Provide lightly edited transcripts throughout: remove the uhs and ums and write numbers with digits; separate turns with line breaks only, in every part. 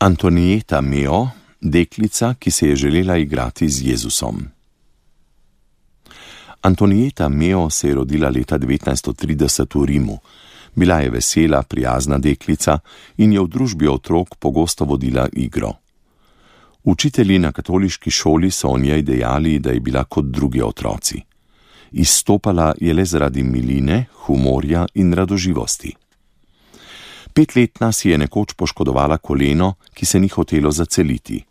Antonieta Meo, deklica, ki se je želela igrati z Jezusom. Antonieta Meo se je rodila leta 1930 v Rimu. Bila je vesela, prijazna deklica in je v družbi otrok pogosto vodila igro. Učitelji na katoliški šoli so o njej dejali, da je bila kot drugi otroci. Izstopala je le zaradi miline, humorja in radoživosti. 5-letna si je nekoč poškodovala koleno, ki se ni hotelo zaceliti.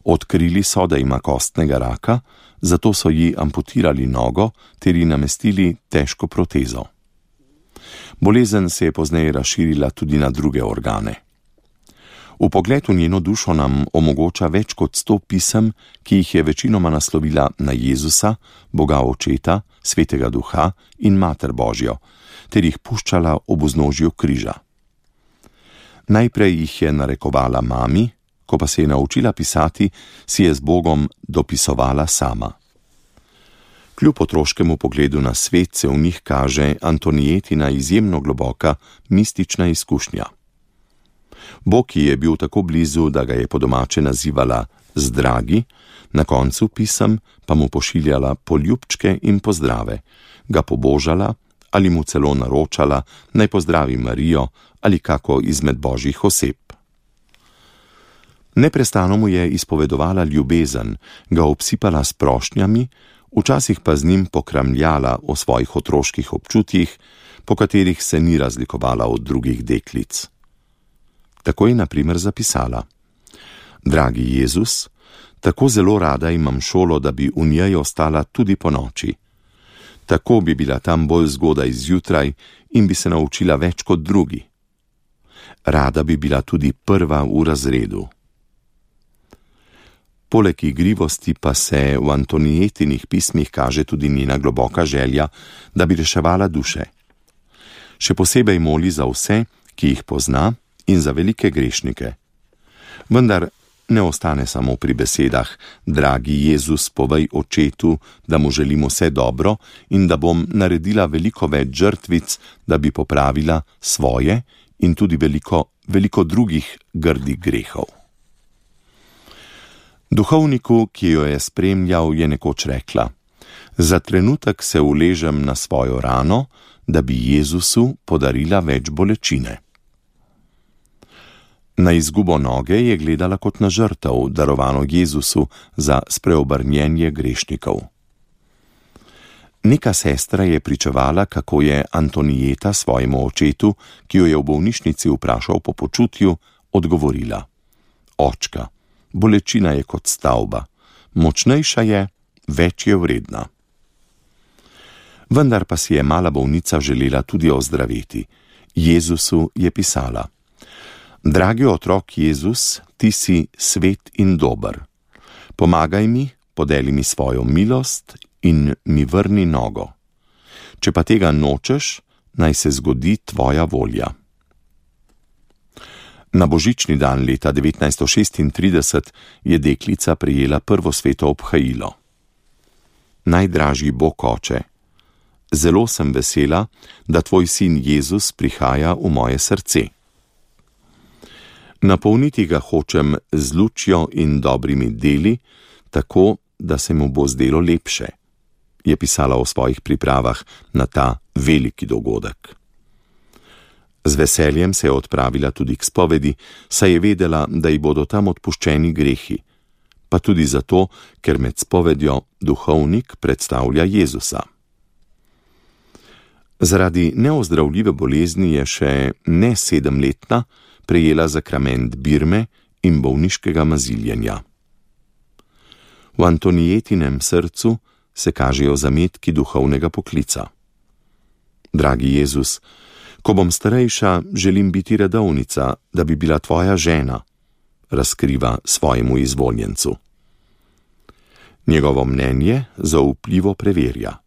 Odkrili so, da ima kostnega raka, zato so ji amputirali nogo ter ji namestili težko protezo. Bolezen se je pozneje razširila tudi na druge organe. Vpogled v njeno dušo nam omogoča več kot 100 pisem, ki jih je večinoma naslovila na Jezusa, Boga Očeta, Svetega Duha in Mater Božjo, ter jih puščala ob vznožju križa. Najprej jih je narekovala mami, ko pa se je naučila pisati, si je z Bogom dopisovala sama. Kljub otroškemu pogledu na svet se v njih kaže Antonietina izjemno globoka mistična izkušnja. Bog ji je bil tako blizu, da ga je po domače nazivala z dragi, na koncu pisem pa mu pošiljala poljubčke in pozdrave, ga pobožala ali mu celo naročala, naj pozdravi Marijo ali kako izmed božjih oseb. Neprestano mu je izpovedovala ljubezen, ga obsipala s prošnjami, včasih pa z njim pokramljala o svojih otroških občutjih, po katerih se ni razlikovala od drugih deklic. Tako je na primer zapisala: Dragi Jezus, tako zelo rada imam šolo, da bi v njej ostala tudi po noči. Tako bi bila tam bolj zgodaj zjutraj in bi se naučila več kot drugi. Rada bi bila tudi prva v razredu. Poleg igrivosti pa se v Antonietinih pismih kaže tudi njena globoka želja, da bi reševala duše. Še posebej moli za vse, ki jih pozna, in za velike grešnike. Vendar ne ostane samo pri besedah: Dragi Jezus, povej Očetu, da mu želim vse dobro in da bom naredila veliko več žrtvic, da bi popravila svoje in tudi veliko drugih grdih grehov. Duhovniku, ki jo je spremljal, je nekoč rekla: Za trenutek se uležem na svojo rano, da bi Jezusu podarila več bolečine. Na izgubo noge je gledala kot na žrtev, darovano Jezusu za spreobrnjenje grešnikov. Neka sestra je pričevala, kako je Antonieta svojemu očetu, ki jo je v bolnišnici vprašal po počutju, odgovorila: Očka, bolečina je kot stavba, močnejša je, več je vredna. Vendar pa si je mala bolnica želela tudi ozdraveti. Jezusu je pisala: Dragi otrok Jezus, ti si svet in dober. Pomagaj mi, podeli mi svojo milost in mi vrni nogo. Če pa tega nočeš, naj se zgodi tvoja volja. Na božični dan leta 1936 je deklica prejela prvo sveto obhajilo. Najdražji Bog Oče, zelo sem vesela, da tvoj sin Jezus prihaja v moje srce. Napolniti ga hočem z lučjo in dobrimi deli, tako, da se mu bo zdelo lepše, je pisala o svojih pripravah na ta veliki dogodek. Z veseljem se je odpravila tudi k spovedi, saj je vedela, da ji bodo tam odpuščeni grehi, pa tudi zato, ker med spovedjo duhovnik predstavlja Jezusa. Zaradi neozdravljive bolezni je še ne 7-letna prejela zakrament birme in bolniškega maziljenja. V Antonietinem srcu se kažejo zametki duhovnega poklica. Dragi Jezus, ko bom starejša, želim biti redovnica, da bi bila tvoja žena, razkriva svojemu izvoljencu. Njegovo mnenje zaupljivo preverja.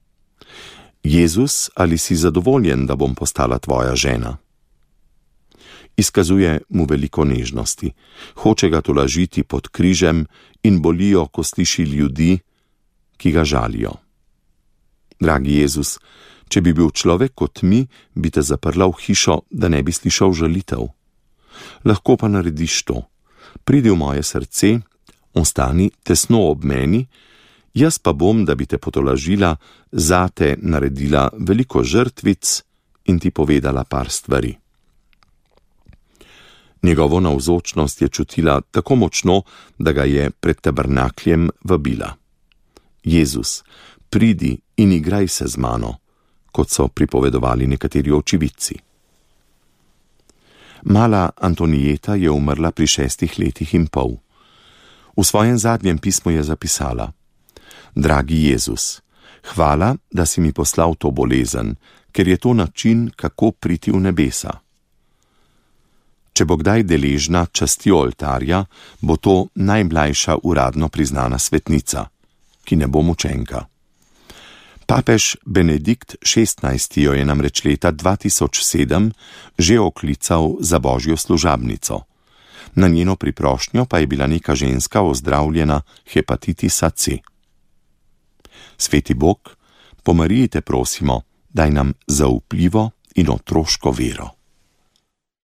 Jezus, ali si zadovoljen, da bom postala tvoja žena? Izkazuje mu veliko nežnosti, hoče ga tolažiti pod križem in bolijo, ko sliši ljudi, ki ga žalijo. Dragi Jezus, če bi bil človek kot mi, bi te zaprla v hišo, da ne bi slišal žalitev. Lahko pa narediš to. Pridi v moje srce, ostani tesno ob meni, jaz pa bom, da bi te potolažila, zate naredila veliko žrtvic in ti povedala par stvari. Njegovo navzočnost je čutila tako močno, da ga je pred tabernakljem vabila. Jezus, pridi in igraj se z mano, kot so pripovedovali nekateri očividci. Mala Antonijeta je umrla pri 6 letih in pol. V svojem zadnjem pismu je zapisala: Dragi Jezus, hvala, da si mi poslal to bolezen, ker je to način, kako priti v nebesa. Če bo kdaj deležna časti oltarja, bo to najmlajša uradno priznana svetnica, ki ne bo mučenka. Papež Benedikt XVI jo je namreč leta 2007 že oklical za božjo služabnico. Na njeno priprošnjo pa je bila neka ženska ozdravljena hepatitisa C. Sveti Bog, po Mariji te prosimo, daj nam zaupljivo in otroško vero.